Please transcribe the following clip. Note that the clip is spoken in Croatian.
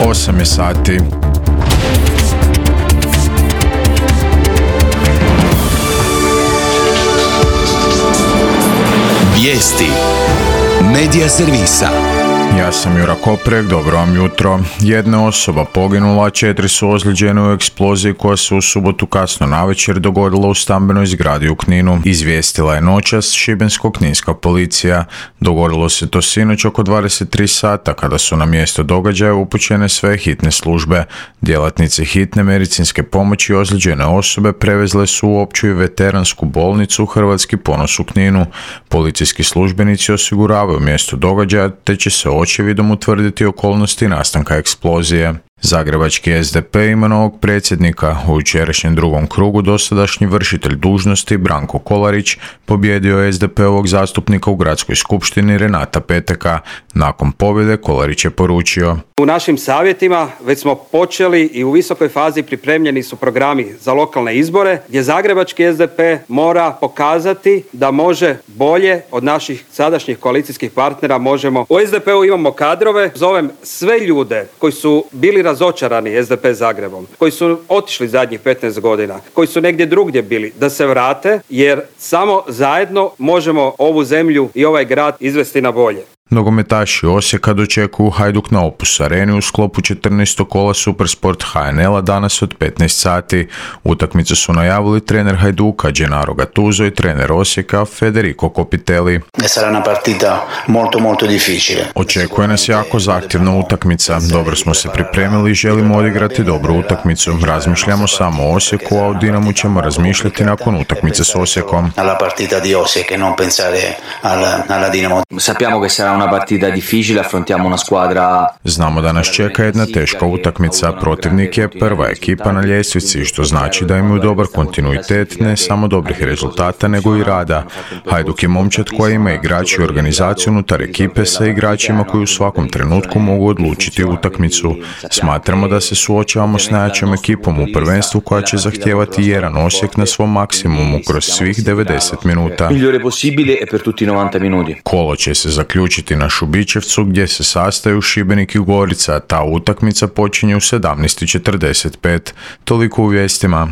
8 je sati. Vijesti Medija servisa. Ja sam Jura Koprek, dobro vam jutro. Jedna osoba poginula, 4 su ozlijeđene u eksploziji koja se u subotu kasno navečer dogodila u stambenoj zgradi u Kninu. Izvijestila je noćas šibensko-kninska policija. Dogodilo se to sinoć oko 23 sata kada su na mjesto događaja upućene sve hitne službe. Djelatnici hitne medicinske pomoći ozlijeđene osobe prevezle su u opću i veteransku bolnicu Hrvatski ponos u Kninu. Policijski službenici osiguravaju mjesto događaja te će se očevidom utvrditi okolnosti nastanka eksplozije. Zagrebački SDP ima novog predsjednika. U jučerašnjem drugom krugu dosadašnji vršitelj dužnosti Branko Kolarić pobijedio je SDP-ovog zastupnika u gradskoj skupštini Renata Peteka. Nakon pobjede Kolarić je poručio: U našim savjetima već smo počeli i u visokoj fazi pripremljeni su programi za lokalne izbore gdje zagrebački SDP mora pokazati da može bolje od naših sadašnjih koalicijskih partnera. U SDP-u imamo kadrove, zovem sve ljude koji su bili razočarani SDP Zagrebom, koji su otišli zadnjih 15 godina, koji su negdje drugdje bili, da se vrate jer samo zajedno možemo ovu zemlju i ovaj grad izvesti na bolje. Nogometaši Osijeka dočekuju Hajduk na Opus Areni u sklopu 14. kola Supersport HNL-a danas od 15 sati. Utakmicu su najavili trener Hajduka Gennaro Gattuso i trener Osijeka Federico Copitelli. Sarà una partita molto difficile. Očekuje nas jako zahtjevna utakmica. Dobro smo se pripremili i želimo odigrati dobru utakmicu. Razmišljamo samo o Osijeku, a o Dinamu ćemo razmišljati nakon utakmice s Osijekom. Alla partita di Osijek, non pensare alla Dinamo. Sappiamo che sarà una partita difficile, affrontiamo una squadra. Znamo da nas čeka jedna teška utakmica. Protivnik je prva ekipa na ljestvici, što znači da imaju dobar kontinuitet, ne samo dobrih rezultata, nego i rada. Hajduk je momčad koja ima igrači i organizaciju unutar ekipe sa igračima koji u svakom trenutku mogu odlučiti utakmicu. Smatramo da se suočavamo s najjačom ekipom u prvenstvu koja će zahtijevati jedan Osijek na svom maksimumu kroz svih 90 minuta. Kolo će se zaključiti na Šubićevcu gdje se sastaju Šibenik i Gorica. Ta utakmica počinje u 17:45. Toliko u vijestima.